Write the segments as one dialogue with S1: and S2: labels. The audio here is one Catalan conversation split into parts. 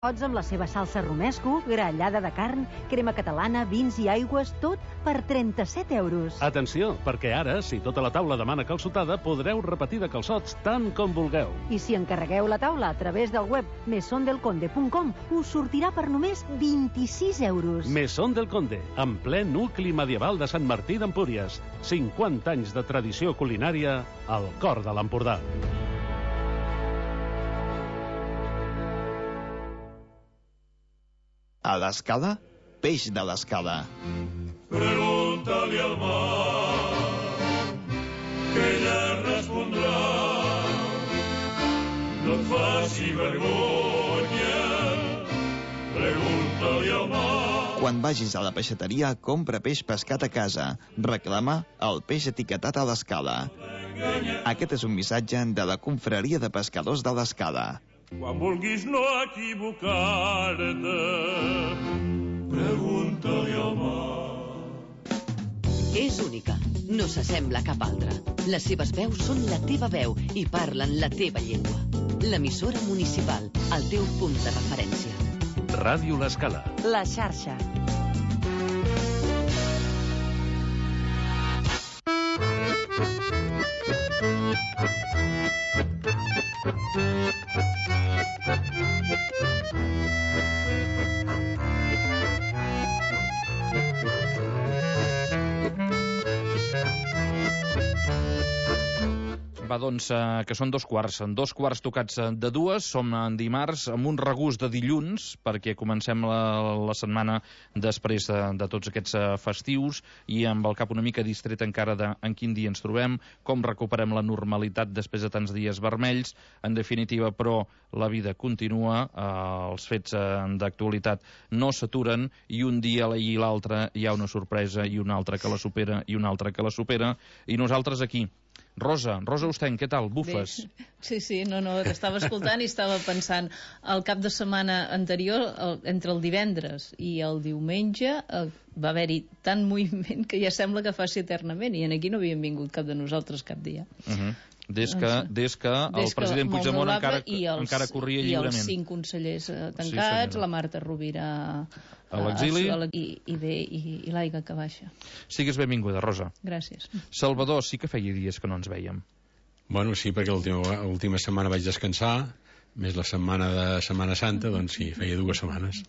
S1: Pots amb la seva salsa romesco, grallada de carn, crema catalana, vins i aigües, tot per 37 euros.
S2: Atenció, perquè ara, si tota la taula demana calçotada, podreu repetir de calçots tant com vulgueu.
S1: I si encarregueu la taula a través del web mesondelconde.com, us sortirà per només 26 euros.
S2: Mesón del Conde, en ple nucli medieval de Sant Martí d'Empúries. 50 anys de tradició culinària al cor de l'Empordà.
S3: A l'escala, peix de l'escala.
S4: Pregúntale al mar, que ella respondrà. No et faci vergonya, pregúntale al mar.
S3: Quan vagis a la peixateria, compra peix pescat a casa. Reclama el peix etiquetat a l'escala. Aquest és un missatge de la Confraria de Pescadors de l'Escala.
S4: Quan vulguis no equivocar-te, pregunta-li al mar.
S5: És única, no s'assembla a cap altra. Les seves veus són la teva veu i parlen la teva llengua. L'emissora municipal, el teu punt de referència.
S2: Ràdio L'Escala.
S1: La xarxa.
S6: Va, doncs, que són 2 quarts tocats de 2, som en dimarts amb un regust de dilluns, perquè comencem la setmana després de tots aquests festius i amb el cap una mica distret encara en quin dia ens trobem, com recuperem la normalitat després de tants dies vermells. En definitiva, però, la vida continua, els fets d'actualitat no s'aturen i un dia i l'altre hi ha una sorpresa i una altra que la supera i una altra que la supera, i nosaltres aquí. Rosa Ostenc, què tal? Bufes?
S7: Bé. Sí, no, t'estava escoltant i estava pensant, el cap de setmana anterior, entre el divendres i el diumenge, va haver-hi tant moviment que ja sembla que faci eternament, i aquí no havíem vingut cap de nosaltres cap dia.
S6: Des que el president Puigdemont encara corria lliurement.
S7: I els 5 consellers tancats, la Marta Rovira
S6: a l'exili
S7: i l'Aiga que baixa.
S6: Sigues benvinguda, Rosa.
S7: Gràcies.
S6: Salvador, sí que feia dies que no ens vèiem.
S8: Bueno, sí, perquè l'última setmana vaig descansar, més la setmana de Setmana Santa, doncs sí, feia 2 setmanes.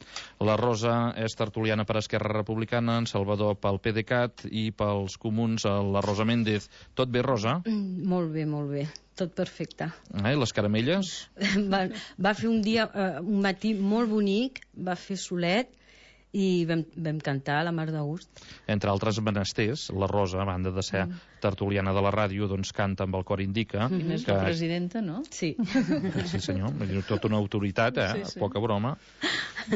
S6: La Rosa és tertuliana per Esquerra Republicana, en Salvador pel PDeCAT i pels Comuns la Rosa Méndez. Tot bé, Rosa?
S9: Molt bé, tot perfecte.
S6: Les caramelles?
S9: Va fer un matí molt bonic, va fer solet i vam cantar a la mar de gust.
S6: Entre altres menesters, la Rosa, a banda de ser tertuliana de la ràdio, doncs canta amb el cor indica.
S7: I més la presidenta, no?
S9: Sí.
S6: Sí, senyor, tota una autoritat,
S7: Sí.
S6: Poca broma.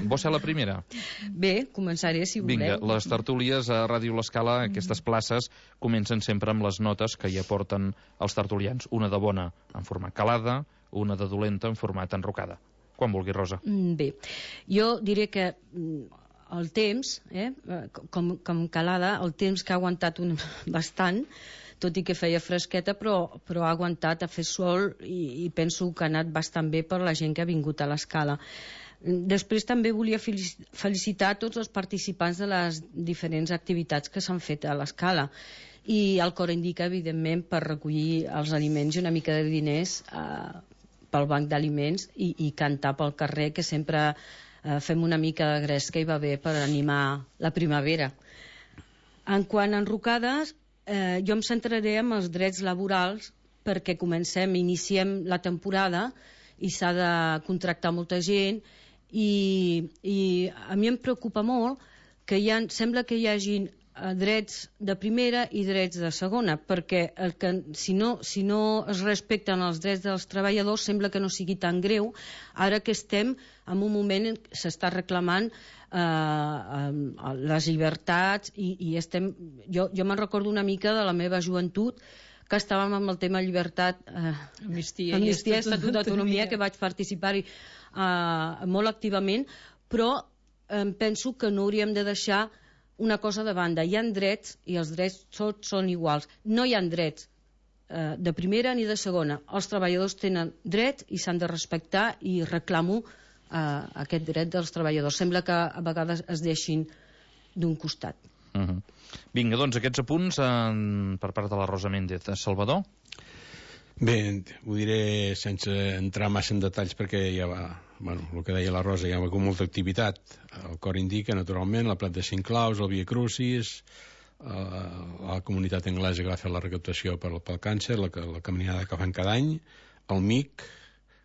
S6: Vols ser la primera?
S9: Bé, començaré si voleu.
S6: Vinga, les tertúlies a Ràdio L'Escala, aquestes places, comencen sempre amb les notes que hi aporten els tertulians. Una de bona en format calada, una de dolenta en format enrocada. Quan vulgui, Rosa.
S9: Bé, jo diré que el temps, com calada, el temps que ha aguantat bastant, tot i que feia fresqueta, però ha aguantat, ha fet sol i penso que ha anat bastant bé per la gent que ha vingut a l'Escala. Després també volia felicitar tots els participants de les diferents activitats que s'han fet a l'Escala i el cor indica, evidentment, per recollir els aliments i una mica de diners pel banc d'aliments i cantar pel carrer, que sempre fem una mica de gresca i va bé per animar la primavera. En quant a enrocades, jo em centraré en els drets laborals perquè iniciem la temporada i s'ha de contractar molta gent i a mi em preocupa molt que sembla que hi hagin drets de primera i drets de segona, perquè si no es respecten els drets dels treballadors sembla que no sigui tan greu, ara que estem en un moment en què s'està reclamant les llibertats i estem... Jo me'n recordo una mica de la meva joventut, que estàvem amb el tema llibertat,
S7: amnistia
S9: i Estatut d'Autonomia, que vaig participar-hi molt activament, però penso que no hauríem de deixar una cosa de banda. Hi ha drets i els drets tots són iguals. No hi ha drets de primera ni de segona. Els treballadors tenen drets i s'han de respectar i reclamo aquest dret dels treballadors. Sembla que a vegades es deixin d'un costat.
S6: Vinga, doncs aquests apunts per part de la Rosa Méndez. Salvador?
S8: Bé, ho diré sense entrar massa en detalls perquè ja va, bueno, el que deia la Rosa, ja va com molta activitat. El cor indica, naturalment, la Plat de Cinc Claus, el Via Crucis, la comunitat anglesa que va fer la recaptació pel càncer, la caminada que fan cada any, el MIC,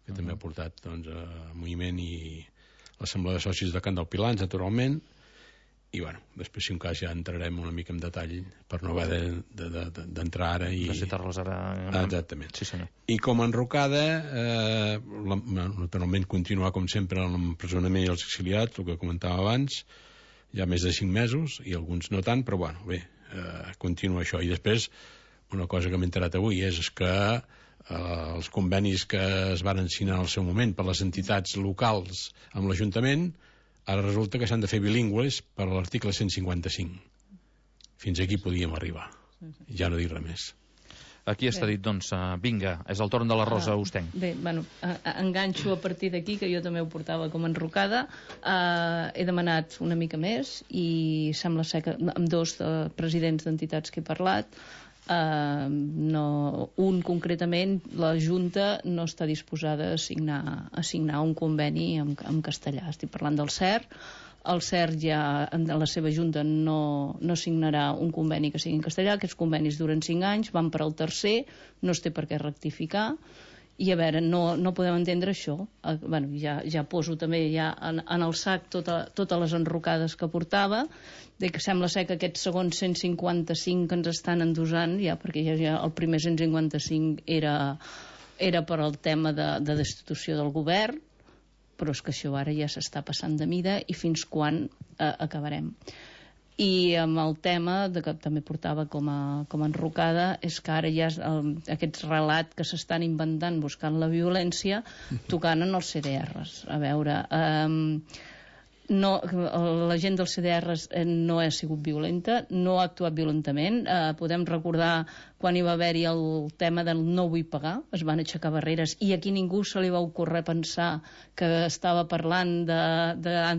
S8: que també ha portat doncs, moviment, i l'Assemblea de Socis de Can del Pilans, naturalment, i bueno, després si un cas ja entrarem una mica en detall per no haver d'entrar ara i...
S6: De citar-les ara...
S8: Exactament.
S6: Sí, senyor.
S8: I com a enrocada, naturalment continuar com sempre amb l'empresonament i els exiliats, el que comentava abans, ja més de 5 mesos, i alguns no tant, però bueno, bé, continua això. I després, una cosa que m'he enterat avui és que els convenis que es van signar al seu moment per les entitats locals amb l'Ajuntament, ara resulta que s'han de fer bilingües per l'article 155. Fins aquí podíem arribar. Ja no dic res més.
S6: Aquí està dit, doncs, vinga, és el torn de la Rosa Ostenc.
S7: Bé, bueno, enganxo a partir d'aquí, que jo també ho portava com enrocada. He demanat una mica més i sembla ser que amb 2 presidents d'entitats que he parlat, un concretament, la Junta no està disposada a signar un conveni en castellà. Estic parlant del CER. El CER ja en la seva Junta no signarà un conveni que sigui en castellà. Aquests convenis duren 5 anys, van per al tercer, no es té per què rectificar. I a veure, no podem entendre això. Bueno, ja poso també ja en el sac totes les enrocades que portava, de que sembla ser que aquest segon 155 que ens estan endosant, ja, perquè ja el primer 155 era per al tema de destitució del govern, però és que això ara ja s'està passant de mida, i fins quan acabarem. I amb el tema que també portava com a enrocada és que ara ja aquest relat que s'estan inventant buscant la violència tocant en els CDRs. A veure, la gent dels CDRs no ha sigut violenta, no ha actuat violentament. Podem recordar quan hi va haver-hi el tema del no vull pagar, es van aixecar barreres i aquí ningú se li va ocórrer pensar que estava parlant de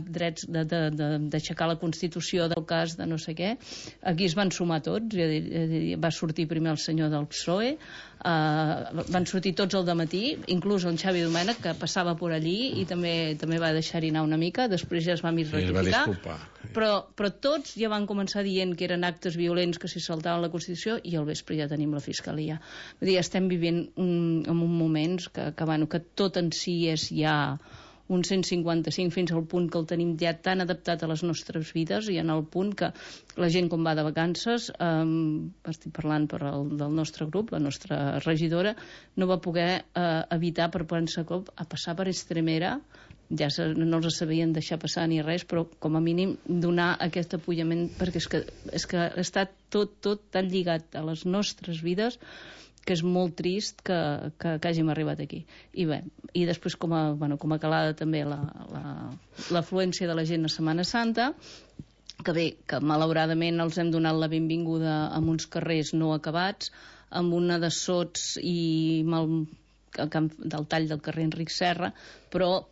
S7: drets, d'aixecar la Constitució del cas de no sé què. Aquí es van sumar tots, va sortir primer el senyor del PSOE, van sortir tots al dematí, inclús el Xavi Domènech, que passava per allí i també va deixar-hi anar una mica, després ja es va rectificar, però tots ja van començar dient que eren actes violents que s'hi saltaven la Constitució, i al vespre ja tenim la Fiscalia. Vull dir, estem vivint en un moment que tot en si és ja un 155 fins al punt que el tenim ja tan adaptat a les nostres vides, i en el punt que la gent quan va de vacances, estic parlant del nostre grup, la nostra regidora, no va poder evitar per prendre cop a passar per Estremera, ja no els sabien deixar passar ni res, però com a mínim donar aquest apoyament, perquè és que està tot tan lligat a les nostres vides que és molt trist que hàgim arribat aquí. I bé, i després com a calada també l'afluència de la gent a Setmana Santa, que bé, que malauradament els hem donat la benvinguda amb uns carrers no acabats, amb una de sots i del tall del carrer Enric Serra, però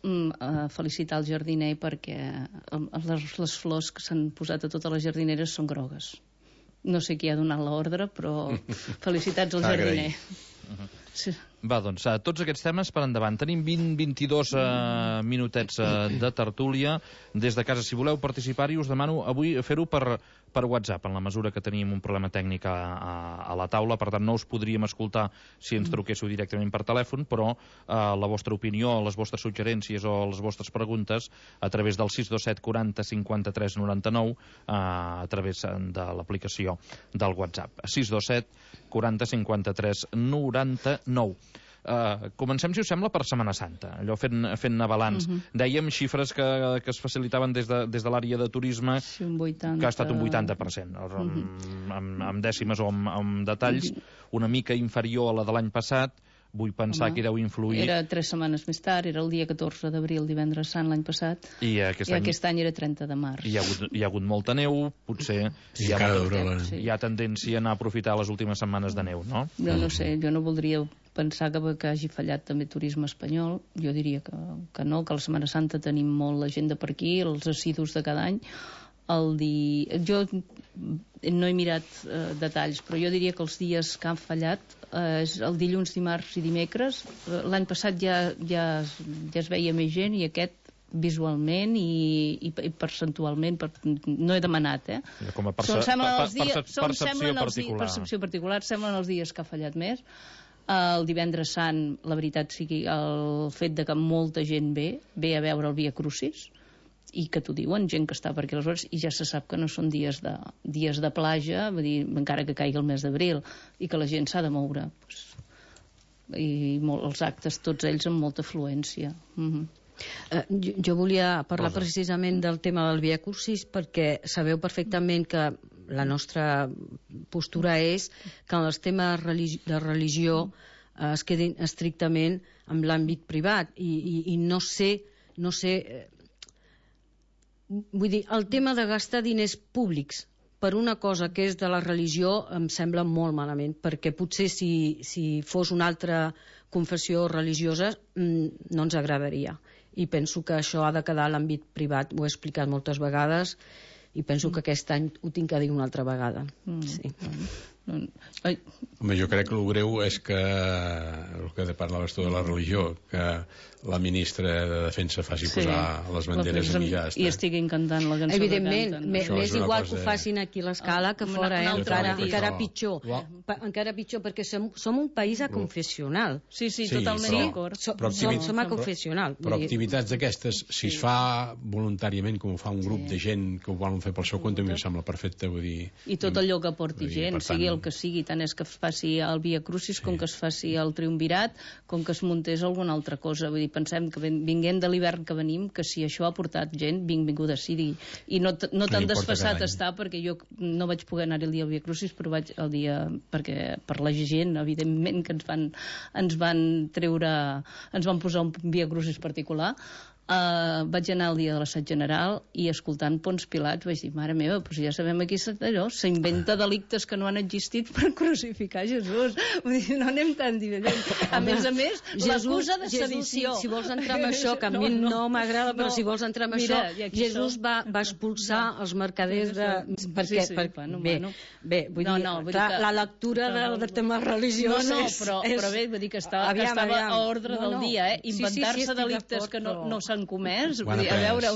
S7: felicitar el jardiner perquè les flors que s'han posat a totes les jardineres són grogues. No sé qui ha donat l'ordre, però felicitats al jardiner. Sí.
S6: Va, doncs, tots aquests temes per endavant. Tenim 20-22 minutets de tertúlia des de casa. Si voleu participar-hi, us demano avui fer-ho per WhatsApp, en la mesura que tenim un problema tècnic a la taula. Per tant, no us podríem escoltar si ens truquéssiu directament per telèfon, però la vostra opinió, les vostres suggerències o les vostres preguntes a través del 627 40 53 99 a través de l'aplicació del WhatsApp. 627 40 53 99. Comencem, si us sembla, per Setmana Santa, allò fent balanç. Dèiem xifres que es facilitaven des de l'àrea de turisme, que ha estat un 80%, amb dècimes o amb detalls, una mica inferior a la de l'any passat. Vull pensar que deu influir...
S7: Era 3 setmanes més tard, era el dia 14 d'abril, divendres sant, l'any passat, i aquest any era 30 de març.
S6: Hi ha hagut molta neu, potser hi ha tendència a anar a aprofitar les últimes setmanes de neu, no?
S7: Jo no sé, jo no voldria pensar que hagi fallat també turisme espanyol. Jo diria que no, que a la Setmana Santa tenim molt l'agenda per aquí, els assidus de cada any. Jo no he mirat detalls, però jo diria que els dies que han fallat és el dilluns, dimarts i dimecres. L'any passat ja es veia més gent, i aquest visualment i percentualment, no he demanat,
S6: com a percepció
S7: particular, semblen els dies que ha fallat més. El divendres sant, la veritat sigui, el fet de que molta gent ve a veure el Via Crucis, i que t'ho diuen, gent que està per aquí a les hores, i ja se sap que no són dies de platja, vull dir, encara que caigui el mes d'abril, i que la gent s'ha de moure. I els actes, tots ells, amb molta afluència.
S9: Jo volia parlar precisament del tema del Via Crucis, perquè sabeu perfectament que la nostra postura és que en els temes de religió es quedin estrictament en l'àmbit privat, i no sé, vull dir, el tema de gastar diners públics per una cosa que és de la religió em sembla molt malament, perquè potser si fos una altra confessió religiosa no ens agradaria, i penso que això ha de quedar a l'àmbit privat. Ho he explicat moltes vegades i penso que aquest any ho tinc a dir una altra vegada. Sí.
S8: Home, jo crec que el greu és que el que parlaves tu de la religió, que la ministra de Defensa faci posar les banderes aquí, ja està.
S7: I estigui encantant la cançó.
S9: Evidentment, m'és igual que ho facin aquí a l'escala que fora, encara pitjor. Encara pitjor, perquè som un país aconfessional.
S7: Sí, totalment d'acord.
S9: Som aconfessional.
S8: Però activitats d'aquestes, si es fa voluntàriament, com ho fa un grup de gent que ho volen fer pel seu compte, em sembla perfecte.
S7: I tot allò que porti gent, sigui el que sigui, tant és que es faci el Via Crucis com que es faci el Triumvirat, com que es muntés alguna altra cosa. Vull dir, pensem que vinguent de l'hivern que venim, que si això ha portat gent, benvinguda sigui. I no tan desfassat està, perquè jo no vaig poder anar el dia al Via Crucis, però vaig el dia, perquè per la gent, evidentment, que ens van posar un Via Crucis particular. Vaig anar el dia de l'assaig general i escoltant Pons Pilat vaig dir, mare meva, però ja sabem aquí s'inventa delictes que no han existit per crucificar Jesús. Vull dir, no anem tan diferent. A més, l'acusa de sedició.
S9: Si vols entrar amb això, que a mi no m'agrada, però si vols entrar amb això, Jesús va expulsar els mercaders bé, vull dir, la lectura de temes religiosos
S7: però bé, vull dir que estava a ordre del dia, inventar-se delictes que no s'han comès, a veure,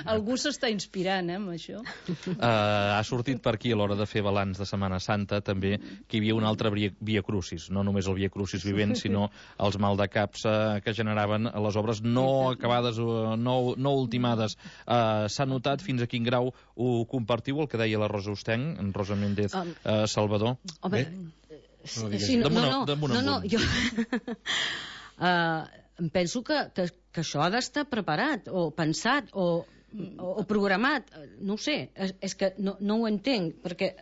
S7: algú s'està inspirant amb això.
S6: Ha sortit per aquí a l'hora de fer balanç de Setmana Santa també que hi havia un altre Via Crucis, no només el Via Crucis vivent, sinó els maldecaps que generaven les obres no acabades, no ultimades. S'ha notat fins a quin grau ho compartiu, el que deia la Rosa Ostenc, en Rosa Méndez Salvador?
S9: Home, no, jo penso que això ha d'estar preparat o pensat o programat, no ho sé, és que no ho entenc, perquè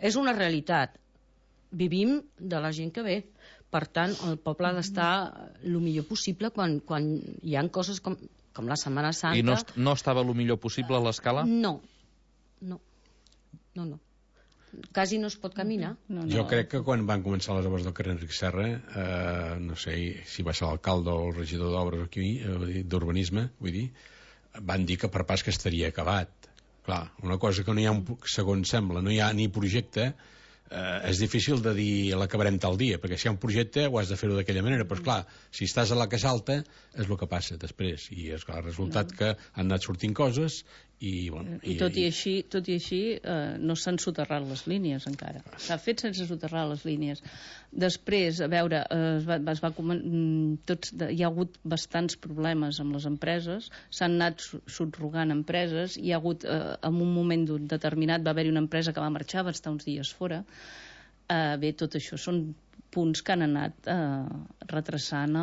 S9: és una realitat, vivim de la gent que ve, per tant el poble ha d'estar el millor possible quan hi ha coses com la Setmana Santa.
S6: I no estava el millor possible a l'escala?
S9: No. Quasi no es pot caminar.
S8: Jo crec que quan van començar les obres del carrer Enric Serra, no sé si va ser l'alcalde o el regidor d'obres aquí, d'urbanisme, vull dir, van dir que per pas que estaria acabat. Clar, una cosa que no hi ha, segons sembla, no hi ha ni projecte, és difícil de dir l'acabarem tal dia, perquè si hi ha un projecte ho has de fer-ho d'aquella manera, però clar, si estàs a la Casa Alta és el que passa després, i és clar, el resultat que han anat sortint coses i
S7: tot i així no s'han soterrat les línies encara, s'ha fet sense soterrar les línies. Després, a veure, hi ha hagut bastants problemes amb les empreses, s'han anat subrogant empreses, hi ha hagut en un moment determinat va haver-hi una empresa que va marxar, va estar uns dies fora. Bé, tot això són punts que han anat retrasant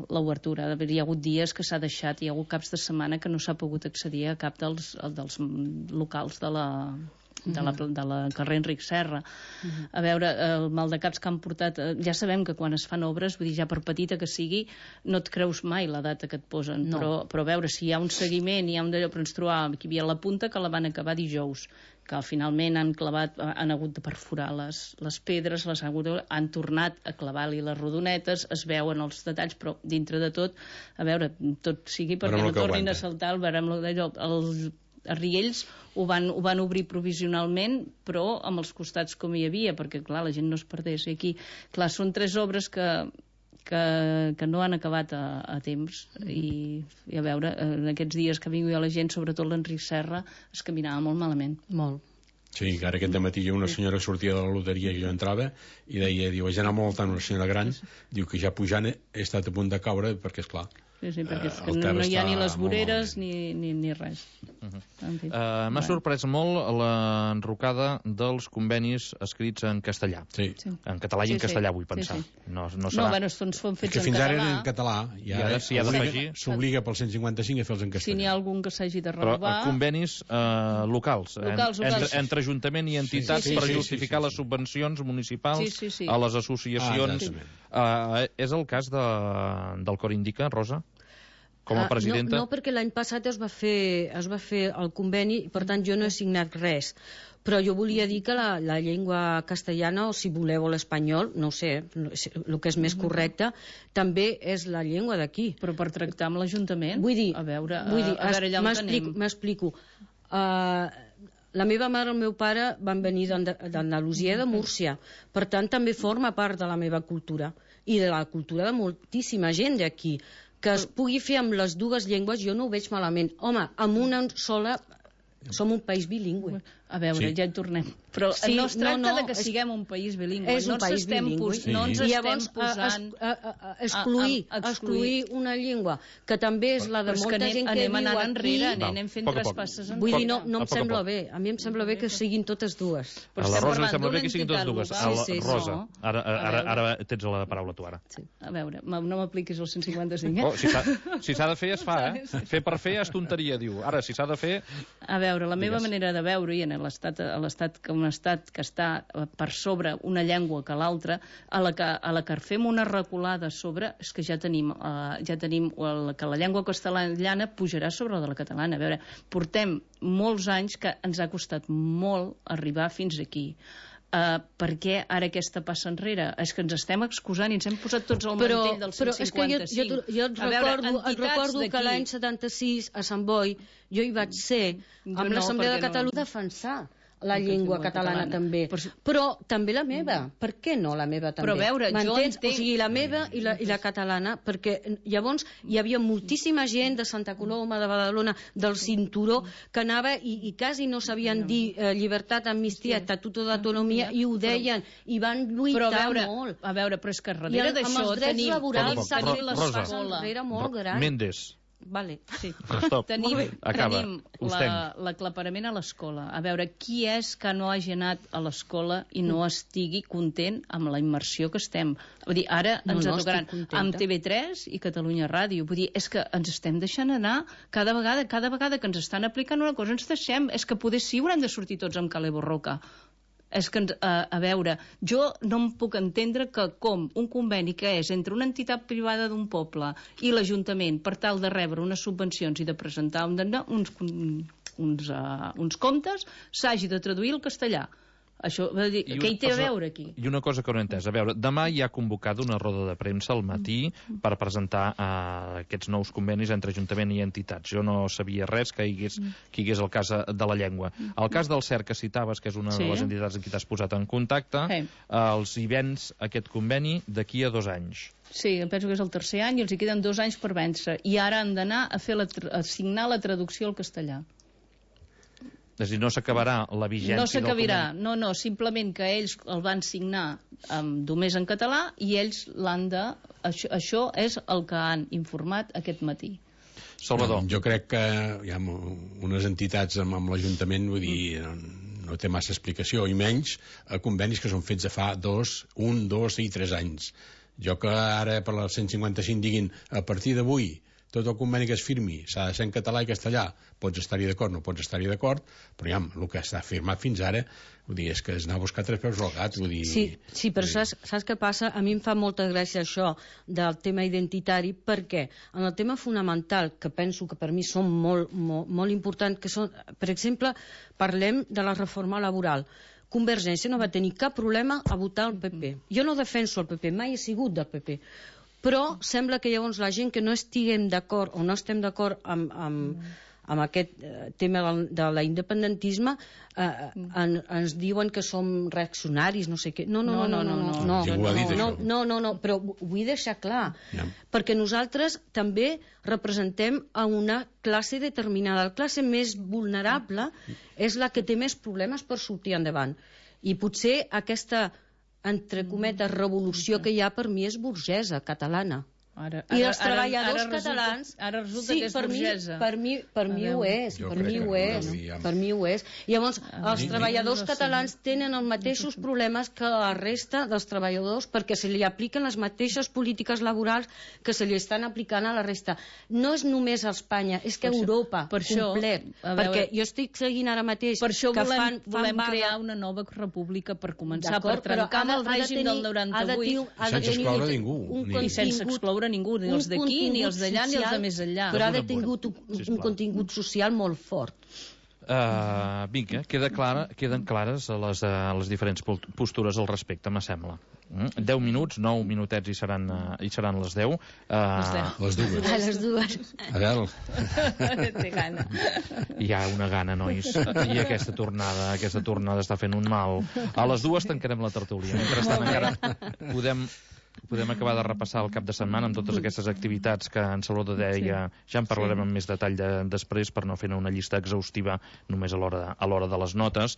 S7: l'obertura. Hi ha hagut dies que s'ha deixat, hi ha hagut caps de setmana que no s'ha pogut accedir a cap dels locals de de la carrer Enric Serra. A veure, el maldecaps que han portat... Ja sabem que quan es fan obres, vull dir, ja per petita que sigui, no et creus mai la data que et posen, però a veure, si hi ha un seguiment, hi ha un d'allò, però ens trobàvem que hi havia la punta que la van acabar dijous, que finalment han hagut de perforar les pedres, han tornat a clavar-li les rodonetes, es veuen els detalls, però dintre de tot, a veure, tot sigui perquè no tornin a saltar el barem d'allò. Els riells ho van obrir provisionalment, però amb els costats com hi havia, perquè clar, la gent no es perdés. I aquí, clar, són 3 obres que no han acabat a temps i a veure, en aquests dies que vingui la gent, sobretot l'Enric Serra, es caminava molt malament.
S9: Molt.
S8: Sí, que ara aquest dematí hi ha una senyora que sortia de la loteria i jo entrava i deia, ja anava molt tant una senyora gran, diu que ja pujant he estat a punt de caure perquè, esclar,
S7: sí, perquè és que no hi ha ni les voreres ni res.
S6: M'ha sorprès molt l'enrocada dels convenis escrits en castellà. En català i en castellà, vull pensar. No serà...
S7: bueno, són fets en català.
S8: Que fins ara eren en català.
S6: I ara s'hi ha d'afegir.
S8: S'obliga pel 155 a fer-los en castellà.
S7: Si n'hi ha algun que s'hagi de renovar...
S6: Però convenis locals. Entre Ajuntament i entitats per justificar les subvencions municipals a les associacions. És el cas del Cor Indica, Rosa? Com a presidenta?
S9: No, perquè l'any passat es va fer el conveni, per tant jo no he signat res. Però jo volia dir que la llengua castellana, o si voleu l'espanyol, no ho sé, el que és més correcte, també és la llengua d'aquí.
S7: Però per tractar amb l'Ajuntament?
S9: Vull dir,
S7: m'explico.
S9: La meva mare i el meu pare van venir d'Andalusia, de Múrcia. Per tant, també forma part de la meva cultura i de la cultura de moltíssima gent d'aquí. Que es pugui fer amb les dues llengües, jo no ho veig malament. Home, amb una sola... Som un país bilingüe.
S7: A veure, ja hi tornem. Però no es tracta de que siguem un país bilingüe.
S9: És un país bilingüe.
S7: No ens estem posant...
S9: Excluir una llengua, que també és la de molta gent que viu aquí...
S7: Anem fent traspasses enrere.
S9: Vull dir, no em sembla bé. A mi em sembla bé que siguin totes dues.
S6: A la Rosa li sembla bé que siguin totes dues. Rosa, ara tens la paraula tu, ara.
S7: A veure, no m'apliquis el 155.
S6: Si s'ha de fer, es fa, eh? Fer per fer és tonteria, diu. Ara, si s'ha de fer...
S7: A veure, la meva manera de veure, i en l'estat que està per sobre una llengua que l'altra, a la que fem una reculada sobre, és que ja tenim que la llengua castellana pujarà sobre la catalana. A veure, portem molts anys que ens ha costat molt arribar fins aquí. Per què ara aquesta passa enrere? És que ens estem excusant i ens hem posat tots al mantell del 155. Però és
S9: que jo et recordo que l'any 76 a Sant Boi jo hi vaig ser amb l'Assemblea de Catalunya defensar la llengua catalana també. Però també la meva. Per què no la meva també?
S7: Però a veure, jo entenc...
S9: O sigui, la meva i la catalana, perquè llavors hi havia moltíssima gent de Santa Coloma, de Badalona, del Cinturó, que anava i quasi no sabien dir llibertat, amnistia, estatuto d'autonomia, i ho deien, i van lluitar molt.
S7: A veure, però és que darrere d'això tenim...
S9: Amb els drets laborals s'ha fet l'escola molt gran.
S6: Mendes.
S9: Vale.
S7: Sí. Tenim l'aclaparament a l'escola. A veure, qui és que no hagi anat a l'escola i no estigui content amb la immersió que estem? Vull dir, ara ens tocaran amb TV3 i Catalunya Ràdio. Vull dir, és que ens estem deixant anar cada vegada que ens estan aplicant una cosa, ens deixem. És que poder sí haurem de sortir tots amb Calé Borroca. És que, a veure, jo no em puc entendre que com un conveni que és entre una entitat privada d'un poble i l'Ajuntament per tal de rebre unes subvencions i de presentar uns comptes s'hagi de traduir al castellà. Això, què hi té a veure aquí?
S6: I una cosa que no he entès. A veure, demà hi ha convocada una roda de premsa al matí per presentar aquests nous convenis entre Ajuntament i entitats. Jo no sabia res que hi hagués el cas de la llengua. El cas del CERC que citaves, que és una de les entitats amb qui t'has posat en contacte, els hi vens aquest conveni d'aquí a 2 anys.
S7: Sí, penso que és el 3è any i els hi queden 2 anys per vèncer. I ara han d'anar a signar la traducció al castellà.
S6: És a dir, no s'acabarà la vigència
S7: del conveni? No, simplement que ells el van signar només en català i ells l'han de... Això és el que han informat aquest matí.
S6: Salvador.
S8: Jo crec que hi ha unes entitats amb l'Ajuntament, vull dir, no té massa explicació, i menys a convenis que són fets de fa 1, 2 i 3 anys. Jo que ara per la 155 diguin a partir d'avui tot el conveni que es firmi s'ha de ser en català i castellà, pots estar-hi d'acord, no pots estar-hi d'acord, però ja, el que està firmat fins ara, vull dir, és que és anar a buscar tres peus al gat, vull dir...
S9: Sí, però saps què passa? A mi em fa molta gràcia això del tema identitari, perquè en el tema fonamental, que penso que per mi són molt importants, que són, per exemple, parlem de la reforma laboral. Convergència no va tenir cap problema a votar el PP. Jo no defenso el PP, mai he sigut del PP, però sembla que llavors la gent que no estiguem d'acord o no estem d'acord amb aquest tema de l'independentisme ens diuen que som reaccionaris, no sé què. No, però vull deixar clar, perquè nosaltres també representem a una classe determinada. La classe més vulnerable és la que té més problemes per sortir endavant. I potser aquesta, entre cometes, revolució que hi ha per mi és burgesa, catalana. I els treballadors catalans...
S7: Ara resulta que és burgesa.
S9: Per mi ho és. Per mi ho és. Llavors, els treballadors catalans tenen els mateixos problemes que la resta dels treballadors perquè se li apliquen les mateixes polítiques laborals que se li estan aplicant a la resta. No és només a Espanya, és que a Europa, complet. Perquè jo estic seguint ara mateix...
S7: Per això volem crear una nova república per començar, per trencar amb el règim del 98.
S8: Sense excloure ningú.
S7: I sense excloure ningú, ni els d'aquí, ni els d'allà, ni els de més enllà.
S9: Però ha de tingut un contingut social molt fort.
S6: Vinga, queden clares les diferents postures al respecte, me sembla. 10 minuts, 9 minutets i seran les 10.
S8: Les dues. Adel.
S7: Té gana.
S6: Hi ha una gana, nois. I aquesta tornada està fent un mal. A les 2 tancarem la tertúlia. Mentrestant encara podem acabar de repassar el cap de setmana amb totes aquestes activitats que en Salvador deia. Ja en parlarem amb més detall després per no fer una llista exhaustiva només a l'hora de les notes.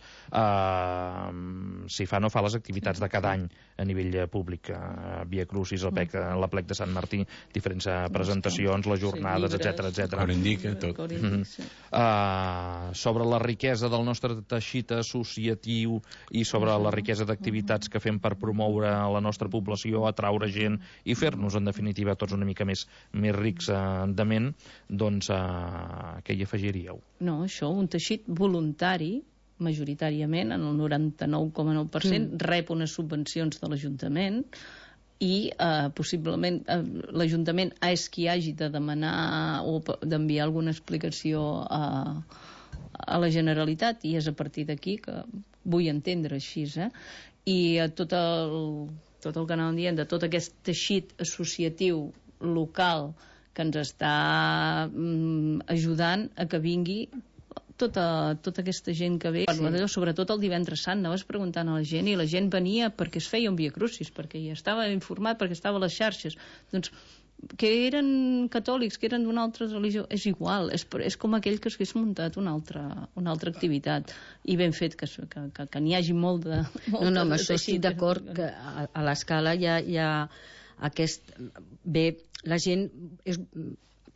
S6: Si fa no fa les activitats de cada any a nivell públic, Via Crucis, l'Aplec de Sant Martí, diferents presentacions, les jornades, etc.
S8: Corindica, tot.
S6: Sobre la riquesa del nostre teixit associatiu i sobre la riquesa d'activitats que fem per promoure la nostra població, atraure gent i fer-nos, en definitiva, tots una mica més rics de ment, doncs què hi afegiríeu?
S7: No, això, un teixit voluntari, majoritàriament, en el 99,9%, rep unes subvencions de l'Ajuntament i possiblement l'Ajuntament és qui hagi de demanar o d'enviar alguna explicació a la Generalitat, i és a partir d'aquí que vull entendre així, i tot el que anàvem dient de tot aquest teixit associatiu local que ens està ajudant a que vingui tota aquesta gent que ve, sobretot el divendres sant, anaves preguntant a la gent i la gent venia perquè es feia un Via Crucis, perquè ja estava informat, perquè estava a les xarxes. Doncs que eren catòlics, que eren d'una altra religió, és igual, és com aquell que s'hagués muntat una altra activitat, i ben fet que n'hi hagi molt de...
S9: No, amb això estic d'acord, que a l'escala hi ha aquest... Bé, la gent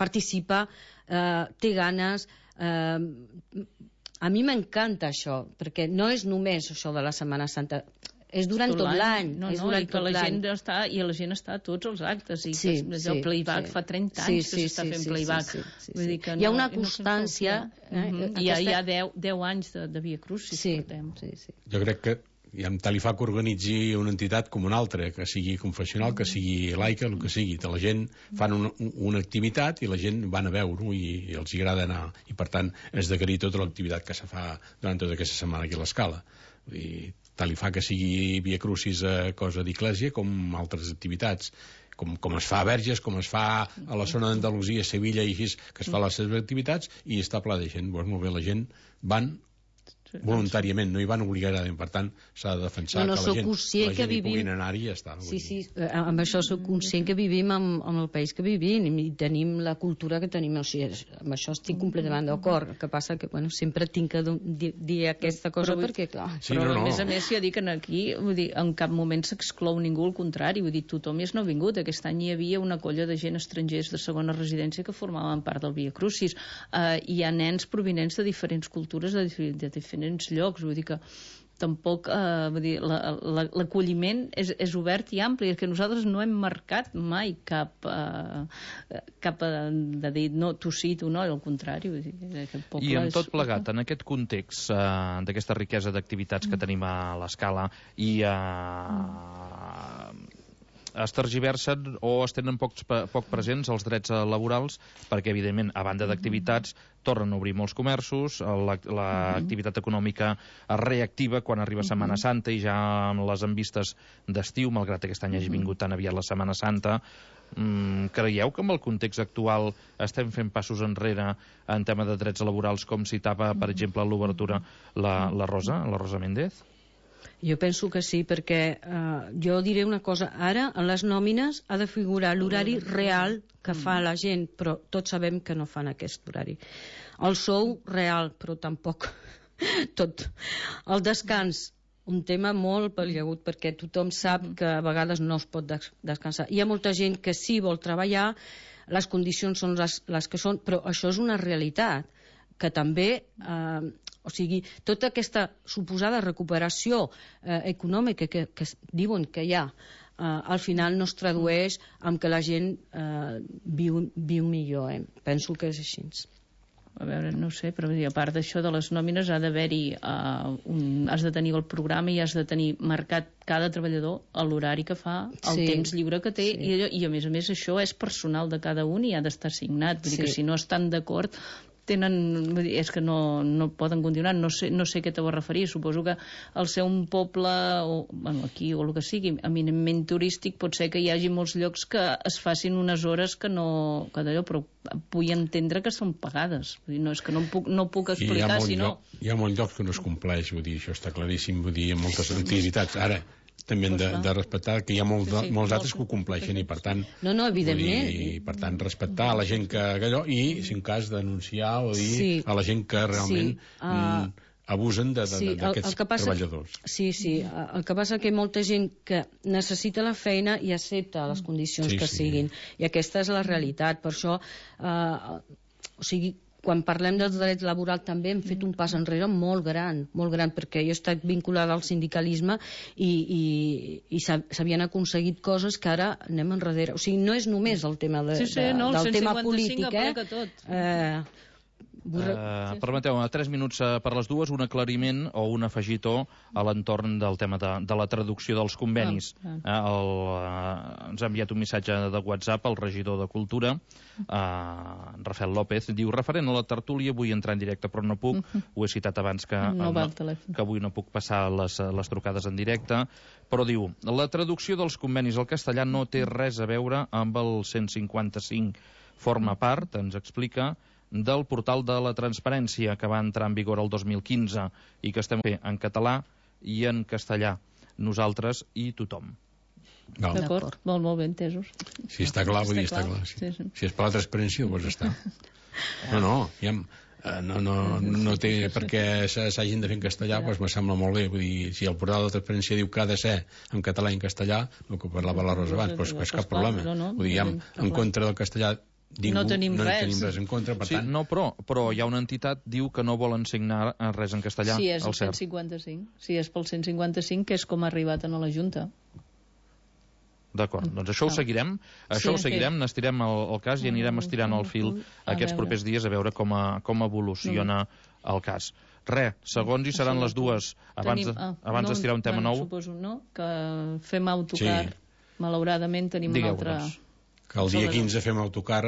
S9: participa, té ganes... A mi m'encanta això, perquè no és només això de la Setmana Santa, és durant tot l'any.
S7: I la gent està a tots els actes, i el playback fa 30 anys que s'està fent playback.
S9: Hi ha una constància.
S7: Hi ha 10 anys de Via Crucis.
S8: Jo crec que tal li fa que organitzi una entitat com una altra, que sigui confessional, que sigui laica, el que sigui. La gent fan una activitat i la gent van a veure-ho i els agrada anar. I per tant és d'agrair tota l'activitat que se fa durant tota aquesta setmana aquí a l'Escala. Tal li fa que sigui Via Crucis cosa d'església com altres activitats, com es fa a Verges, com es fa a la zona d'Andalusia, Sevilla i així, que es fa les seves activitats i està ple de gent. Molt bé, la gent van voluntàriament, no hi van obligadament, per tant s'ha de defensar que la gent hi puguin anar-hi i ja està.
S9: Amb això soc conscient que vivim amb el país que vivim i tenim la cultura que tenim, o sigui, amb això estic completament d'acord. El que passa que sempre tinc que dir aquesta cosa perquè, clar...
S7: Però a més, ja dic que aquí en cap moment s'exclou ningú, al contrari, vull dir, tothom és nouvingut. Aquest any hi havia una colla de gent estrangers de segona residència que formaven part del Via Crucis. Hi ha nens provinents de diferents cultures, de diferents llocs, vull dir que tampoc l'acolliment és obert i ampli, és que nosaltres no hem marcat mai cap de dir no, tu sí, tu no, al contrari.
S6: I amb tot plegat, en aquest context d'aquesta riquesa d'activitats que tenim a l'Escala i es tergiversen o es tenen poc presents els drets laborals perquè, evidentment, a banda d'activitats, tornen a obrir molts comerços, l'activitat econòmica es reactiva quan arriba Setmana Santa i ja amb les envistes d'estiu, malgrat aquest any hagi vingut tan aviat la Setmana Santa. Creieu que amb el context actual estem fent passos enrere en tema de drets laborals, com citava, per exemple, a l'obertura la Rosa Méndez?
S9: Jo penso que sí, perquè jo diré una cosa. Ara, en les nòmines, ha de figurar l'horari real que fa la gent, però tots sabem que no fan aquest horari. El sou real, però tampoc tot. El descans, un tema molt peliagut, perquè tothom sap que a vegades no es pot descansar. Hi ha molta gent que sí vol treballar, les condicions són les que són, però això és una realitat que també... O sigui, tota aquesta suposada recuperació econòmica que diuen que hi ha, al final no es tradueix en que la gent viu millor. Penso que és així.
S7: A veure, no sé, però a part d'això de les nòmines ha d'haver-hi has de tenir el programa i has de tenir marcat cada treballador l'horari que fa, el temps lliure que té, i a més això és personal de cada un i ha d'estar signat. Vull dir que si no estan d'acord és que no poden continuar. No sé a què te vas referir. Suposo que al ser un poble aquí o el que sigui eminentment turístic, pot ser que hi hagi molts llocs que es facin unes hores que no, però vull entendre que són pagades. No és que no puc explicar, sinó...
S8: Hi ha molts llocs que no es compleix, vull dir, això està claríssim, vull dir, en moltes activitats. Ara, també hem de respectar que hi ha molts altres que ho compleixen i, per tant...
S9: No, evidentment.
S8: I, per tant, respectar a la gent que allò i, si en cas, denunciar o dir a la gent que realment abusen d'aquests treballadors.
S9: Sí. El que passa que hi ha molta gent que necessita la feina i accepta les condicions que siguin. I aquesta és la realitat. Per això, o sigui, quan parlem del dret laboral també hem fet un pas enrere molt gran, perquè jo he estat vinculada al sindicalisme i s'havien aconseguit coses que ara anem enrere. O sigui, no és només el tema del tema polític,
S6: Permeteu, 3 minuts per les dues, un aclariment o un afegitó a l'entorn del tema de la traducció dels convenis. Ens ha enviat un missatge de WhatsApp al regidor de Cultura, Rafael López, diu: referent a la tertúlia, vull entrar en directe però no puc, ho he citat abans que avui no puc passar les trucades en directe, però diu: la traducció dels convenis al castellà no té res a veure amb el 155, forma part, ens explica, del portal de la transparència que va entrar en vigor el 2015 i que estem fent en català i en castellà, nosaltres i tothom.
S7: D'acord, molt ben entesos.
S8: Si està clar, vull dir, està clar. Si és per la transparència, doncs està. No té per què s'hagin de fer en castellà, doncs me sembla molt bé. Vull dir, si el portal de la transparència diu que ha de ser en català i en castellà, el que parlava la Rosa abans, doncs és cap problema. Vull dir, en contra del castellà
S7: no tenim
S8: res en contra, per tant...
S6: No, però hi ha una entitat diu que no volen signar res en castellà.
S7: Sí, és el 155. Sí, és pel 155, que és com ha arribat a la Junta.
S6: D'acord, doncs això ho seguirem, n'estirem el cas i anirem estirant el fil aquests propers dies a veure com evoluciona el cas. Segons hi seran les dues, abans d'estirar un tema nou...
S7: Suposo, no?, que fem autocar. Malauradament tenim un altre...
S8: Que el dia 15 fem autocar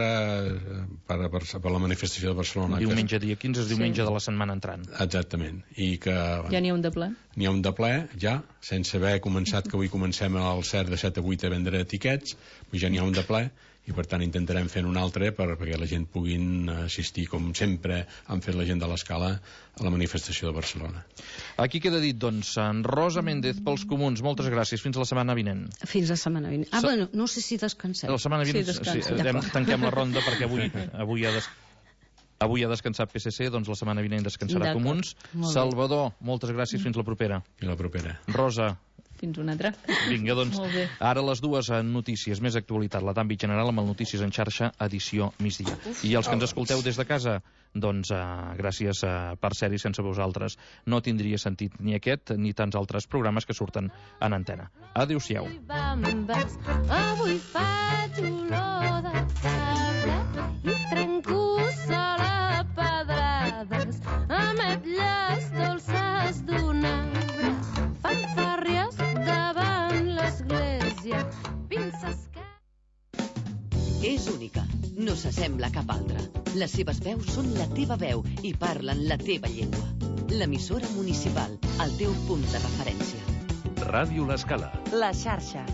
S8: per la manifestació de Barcelona.
S6: Diumenge dia 15 és diumenge de la setmana entrant.
S8: Exactament. I que...
S7: Ja n'hi ha un de ple?
S8: N'hi ha un de ple, ja, sense haver començat, que avui comencem al CERT de 7 a 8 a vendre etiquets, ja n'hi ha un de ple, i per tant intentarem fer un altre perquè la gent puguin assistir, com sempre han fet la gent de l'Escala, a la manifestació de Barcelona.
S6: Aquí queda dit, doncs, en Rosa Méndez pels Comuns. Moltes gràcies. Fins la setmana vinent.
S9: Fins la setmana vinent. Bueno, no sé si descansem.
S6: La setmana vinent tanquem la ronda perquè avui ha descansat PSC, doncs la setmana vinent descansarà Comuns. Salvador, moltes gràcies. Fins la propera.
S8: Fins la propera.
S6: Rosa,
S7: Fins una altra.
S6: Vinga, doncs, ara les dues notícies, més actualitat, la d'àmbit general amb el Notícies en xarxa, edició migdia. I els que ens escolteu des de casa, doncs gràcies per ser-hi, sense vosaltres no tindria sentit ni aquest ni tants altres programes que surten en antena. Adéu-siau.
S10: Avui faig olor de cabra i trenco sol a pedrades, ametlles dolces d'un arbre, fanfàrries davant l'església, pinces que...
S5: És única, no s'assembla a cap altra. Les seves veus són la teva veu i parlen la teva llengua. L'emissora municipal, el teu punt de referència.
S2: Ràdio L'Escala.
S1: La xarxa.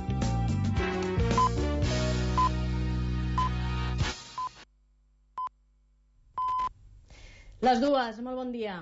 S11: Les dues, molt bon dia.